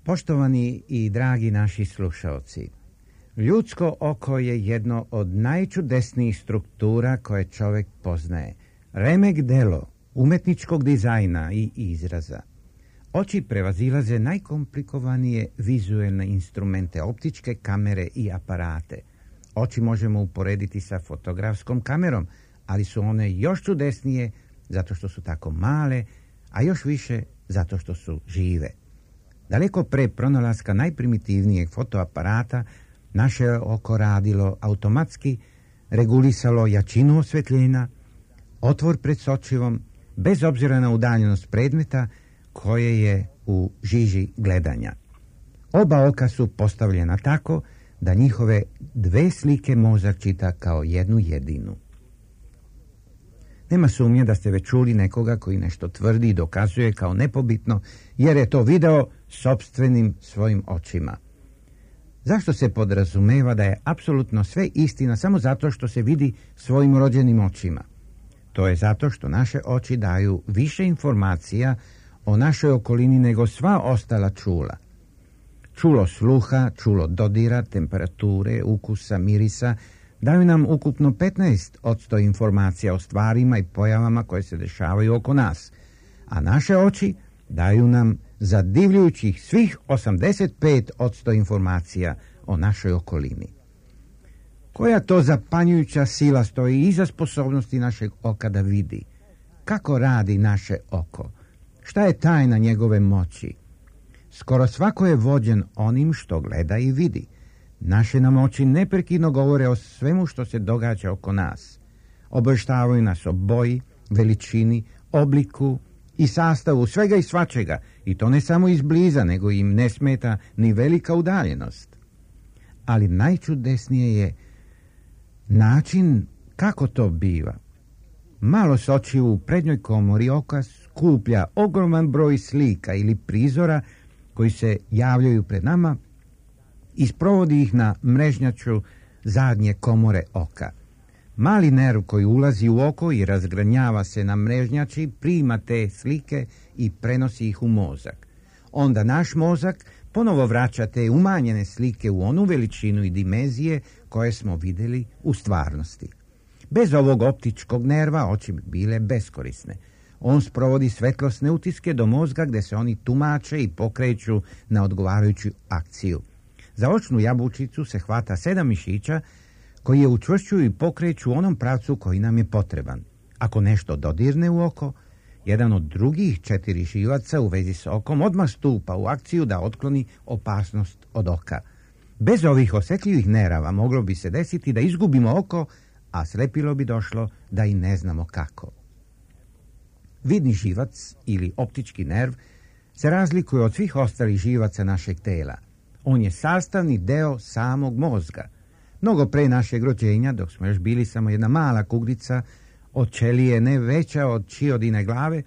Poštovani i dragi naši slušalci, ljudsko oko je jedno od najčudesnijih struktura koje čovjek poznaje. Remek delo umetničkog dizajna i izraza. Oči prevazilaze najkomplikovanije vizuelne instrumente, optičke kamere i aparate. Oči možemo uporediti sa fotografskom kamerom, ali su one još čudesnije zato što su tako male, a još više zato što su žive. Daleko pre pronalaska najprimitivnijeg fotoaparata, naše oko radilo automatski, regulisalo jačinu osvetljenja, otvor pred sočivom, bez obzira na udaljenost predmeta koje je u žiži gledanja. Oba oka su postavljena tako da njihove dve slike mozak čita kao jednu jedinu. Nema sumnje da ste već čuli nekoga koji nešto tvrdi i dokazuje kao nepobitno, jer je to video sopstvenim svojim očima. Zašto se podrazumeva da je apsolutno sve istina samo zato što se vidi svojim rođenim očima? To je zato što naše oči daju više informacija o našoj okolini nego sva ostala čula. Čulo sluha, čulo dodira, temperature, ukusa, mirisa daju nam ukupno 15% informacija o stvarima i pojavama koje se dešavaju oko nas, a naše oči daju nam zadivljujućih svih 85% informacija o našoj okolini. Koja to zapanjujuća sila stoji iza sposobnosti našeg oka da vidi? Kako radi naše oko? Šta je tajna njegove moći? Skoro svako je vođen onim što gleda i vidi. Naše nam oči neprekidno govore o svemu što se događa oko nas. Obavještavaju nas o boji, veličini, obliku i sastavu svega i svačega, i to ne samo izbliza, nego im ne smeta ni velika udaljenost. Ali najčudesnije je način kako to biva. Malo s očiju u prednjoj komori oka skuplja ogroman broj slika ili prizora koji se javljaju pred nama i sprovodi ih na mrežnjaču zadnje komore oka. Mali nerv koji ulazi u oko i razgranjava se na mrežnjači prima te slike i prenosi ih u mozak. Onda naš mozak ponovo vraća te umanjene slike u onu veličinu i dimenzije koje smo vidjeli u stvarnosti. Bez ovog optičkog nerva oči bi bile beskorisne. On sprovodi svetlosne utiske do mozga gdje se oni tumače i pokreću na odgovarajuću akciju. Za očnu jabučicu se hvata 7 mišića koji je učvršćuju i pokreću u onom pravcu koji nam je potreban. Ako nešto dodirne u oko, jedan od drugih 4 živaca u vezi s okom odmah stupa u akciju da otkloni opasnost od oka. Bez ovih osjetljivih nerava moglo bi se desiti da izgubimo oko, a slepilo bi došlo da i ne znamo kako. Vidni živac ili optički nerv se razlikuje od svih ostalih živaca našeg tela. On je sastavni deo samog mozga. Mnogo pre našeg rođenja, dok smo još bili samo jedna mala kuglica od ćelije ne veća od čiodine glave,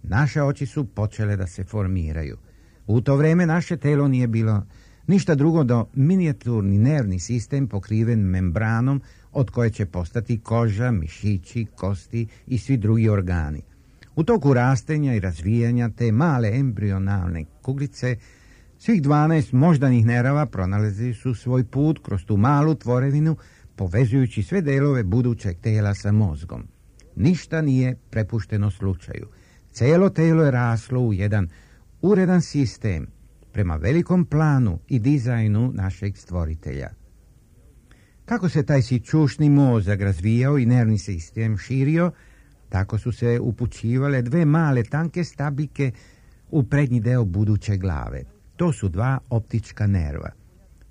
naše oči su počele da se formiraju. U to vreme naše telo nije bilo ništa drugo do minijaturni nervni sistem pokriven membranom od koje će postati koža, mišići, kosti i svi drugi organi. U toku rastenja i razvijanja te male embrionalne kuglice svih 12 moždanih nerava pronalazili su svoj put kroz tu malu tvorevinu, povezujući sve delove budućeg tela sa mozgom. Ništa nije prepušteno slučaju. Cijelo telo je raslo u jedan uredan sistem prema velikom planu i dizajnu našeg stvoritelja. Kako se taj sićušni mozak razvijao i nervni sistem širio, tako su se upućivale 2 male tanke stabljike u prednji deo buduće glave. To su 2 optička nerva.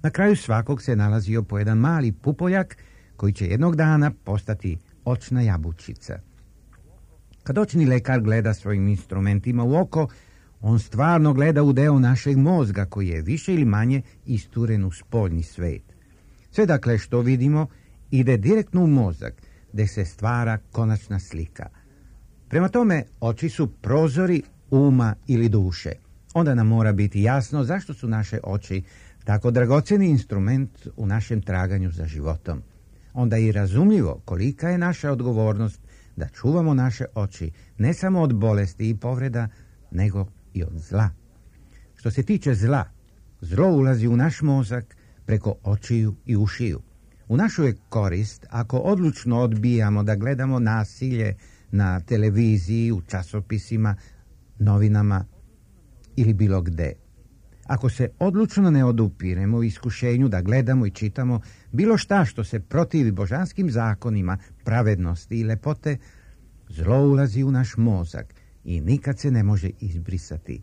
Na kraju svakog se nalazio po jedan mali pupoljak koji će jednog dana postati očna jabučica. Kad očni lekar gleda svojim instrumentima u oko, on stvarno gleda u deo našeg mozga koji je više ili manje isturen u spoljni svet. Sve dakle što vidimo ide direktno u mozak, gdje se stvara konačna slika. Prema tome, oči su prozori uma ili duše. Onda nam mora biti jasno zašto su naše oči tako dragocjeni instrument u našem traganju za životom. Onda je i razumljivo kolika je naša odgovornost da čuvamo naše oči ne samo od bolesti i povreda, nego i od zla. Što se tiče zla, zlo ulazi u naš mozak preko očiju i ušiju. U našu je korist ako odlučno odbijamo da gledamo nasilje na televiziji, u časopisima, novinama ili bilo gde. Ako se odlučno ne odupiremo u iskušenju da gledamo i čitamo bilo šta što se protivi božanskim zakonima, pravednosti i lepote, zlo ulazi u naš mozak i nikad se ne može izbrisati.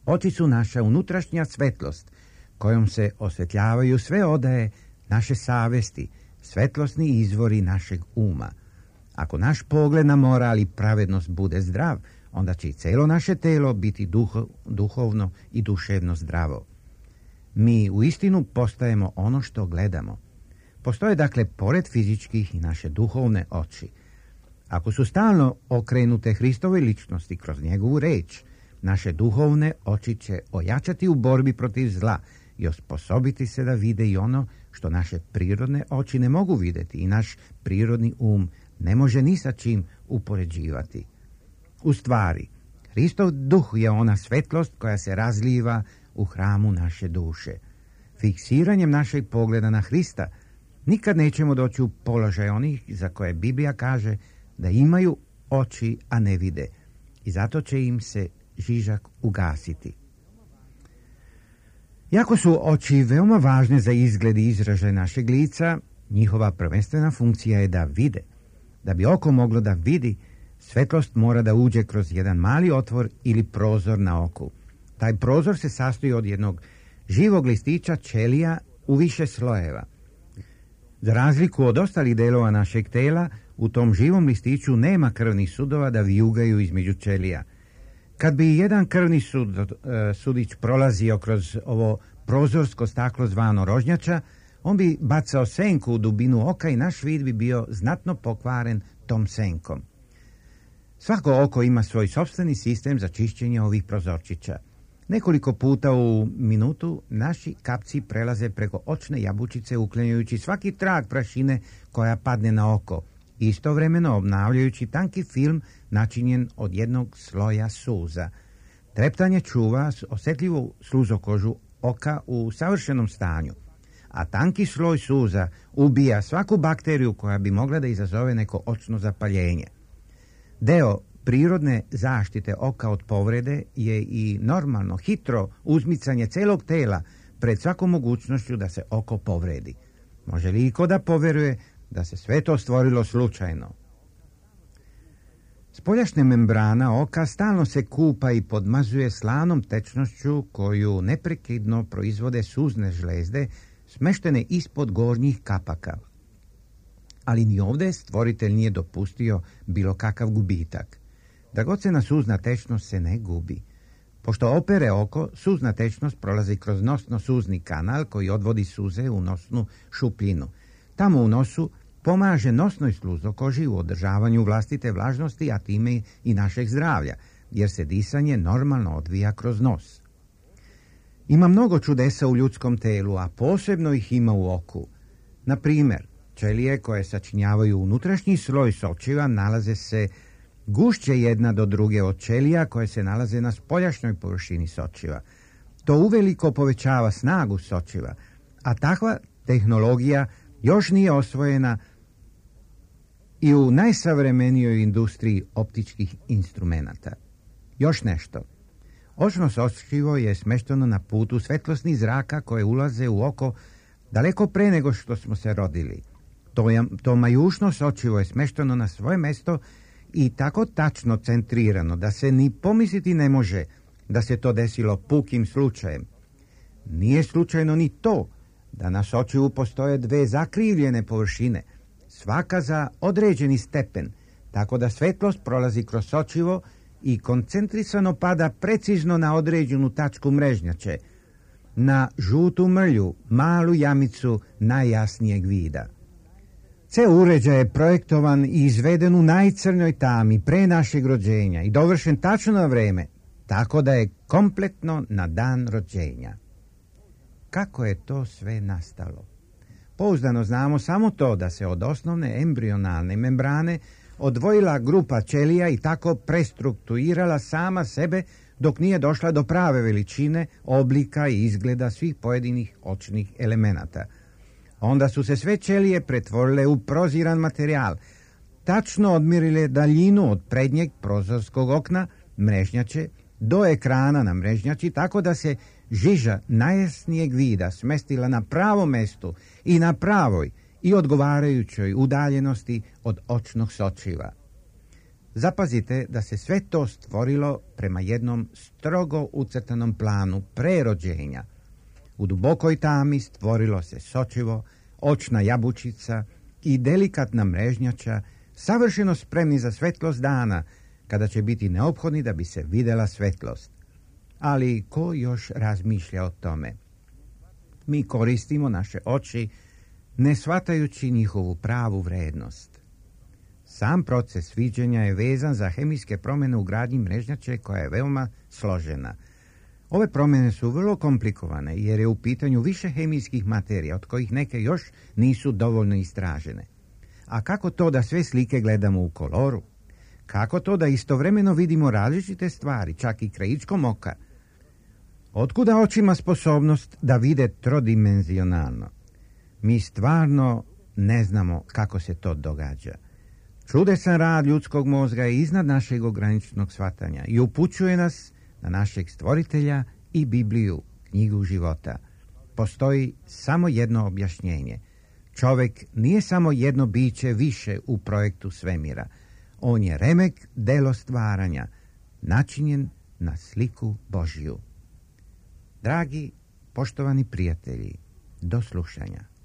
Oči su naša unutrašnja svetlost kojom se osvetljavaju sve odaje naše savesti, svetlosni izvori našeg uma. Ako naš pogled na moral i pravednost bude zdrav, onda će i cijelo naše telo biti duhovno i duševno zdravo. Mi u istinu postajemo ono što gledamo. Postoje dakle pored fizičkih i naše duhovne oči. Ako su stalno okrenute Hristovoj ličnosti kroz njegovu reč, naše duhovne oči će ojačati u borbi protiv zla i osposobiti se da vide i ono što naše prirodne oči ne mogu vidjeti i naš prirodni um ne može ni sa čim upoređivati. U stvari, Hristov duh je ona svetlost koja se razliva u hramu naše duše. Fiksiranjem našeg pogleda na Hrista nikad nećemo doći u položaj onih za koje Biblija kaže da imaju oči, a ne vide, i zato će im se žižak ugasiti. Iako su oči veoma važne za izgled i izražaj našeg lica, njihova prvenstvena funkcija je da vide. Da bi oko moglo da vidi, svetlost mora da uđe kroz jedan mali otvor ili prozor na oku. Taj prozor se sastoji od jednog živog listića ćelija u više slojeva. Za razliku od ostalih delova našeg tela, u tom živom listiću nema krvnih sudova da vijugaju između ćelija. Kad bi jedan krvni sudić prolazio kroz ovo prozorsko staklo zvano rožnjača, on bi bacao senku u dubinu oka i naš vid bi bio znatno pokvaren tom senkom. Svako oko ima svoj sopstveni sistem za čišćenje ovih prozorčića. Nekoliko puta u minutu naši kapci prelaze preko očne jabučice uklanjajući svaki trag prašine koja padne na oko, istovremeno obnavljajući tanki film načinjen od jednog sloja suza. Treptanje čuva osjetljivu sluzokožu oka u savršenom stanju, a tanki sloj suza ubija svaku bakteriju koja bi mogla da izazove neko očno zapaljenje. Deo prirodne zaštite oka od povrede je i normalno, hitro uzmicanje celog tela pred svakom mogućnošću da se oko povredi. Može li iko da poveruje da se sve to stvorilo slučajno? Spoljašnja membrana oka stalno se kupa i podmazuje slanom tečnošću koju neprekidno proizvode suzne žlezde smeštene ispod gornjih kapaka. Ali ni ovdje stvoritelj nije dopustio bilo kakav gubitak. Dragocjena suzna tečnost se ne gubi. Pošto opere oko, suzna tečnost prolazi kroz nosno-suzni kanal koji odvodi suze u nosnu šupljinu. Tamo u nosu pomaže nosnoj sluzokoži u održavanju vlastite vlažnosti, a time i našeg zdravlja, jer se disanje normalno odvija kroz nos. Ima mnogo čudesa u ljudskom telu, a posebno ih ima u oku. Na primjer, ćelije koje sačinjavaju unutrašnji sloj sočiva nalaze se gušće jedna do druge od ćelija koje se nalaze na spoljašnjoj površini sočiva. To uveliko povećava snagu sočiva, a takva tehnologija još nije osvojena i u najsavremenijoj industriji optičkih instrumenata. Još nešto. Očno sočivo je smešteno na putu svetlosnih zraka koje ulaze u oko daleko pre nego što smo se rodili. To majušno sočivo je smešteno na svoje mesto i tako tačno centrirano da se ni pomisliti ne može da se to desilo pukim slučajem. Nije slučajno ni to da na sočivu postoje dve zakrivljene površine. svaka za određeni stepen, tako da svetlost prolazi kroz sočivo i koncentrisano pada precizno na određenu tačku mrežnjače, na žutu mrlju, malu jamicu najjasnijeg vida. Ceo uređaj je projektovan i izveden u najcrnjoj tami pre našeg rođenja i dovršen tačno na vreme, tako da je kompletno na dan rođenja. Kako je to sve nastalo? Pouzdano znamo samo to da se od osnovne embrionalne membrane odvojila grupa ćelija i tako prestrukturirala sama sebe dok nije došla do prave veličine, oblika i izgleda svih pojedinih očnih elemenata. Onda su se sve ćelije pretvorile u proziran materijal, tačno odmjerile daljinu od prednjeg prozorskog okna mrežnjače do ekrana na mrežnjači, tako da se žiža najjasnijeg vida smestila na pravom mestu i na pravoj i odgovarajućoj udaljenosti od očnog sočiva. Zapazite da se sve to stvorilo prema jednom strogo ucrtanom planu pre rođenja. U dubokoj tami stvorilo se sočivo, očna jabučica i delikatna mrežnjača, savršeno spremni za svetlost dana, kada će biti neophodni da bi se videla svetlost. Ali ko još razmišlja o tome? Mi koristimo naše oči ne shvatajući njihovu pravu vrednost. Sam proces viđenja je vezan za hemijske promjene u gradnji mrežnjače koja je veoma složena. Ove promjene su vrlo komplikovane jer je u pitanju više hemijskih materija od kojih neke još nisu dovoljno istražene. A kako to da sve slike gledamo u koloru? Kako to da istovremeno vidimo različite stvari, čak i krajičkom oka? Otkuda očima sposobnost da vide trodimenzionalno? Mi stvarno ne znamo kako se to događa. Čudesan rad ljudskog mozga je iznad našeg ograničenog shvatanja i upućuje nas na našeg stvoritelja i Bibliju, knjigu života. Postoji samo jedno objašnjenje. Čovjek nije samo jedno biće više u projektu svemira. On je remek delo stvaranja, načinjen na sliku Božju. Dragi, poštovani prijatelji, do slušanja.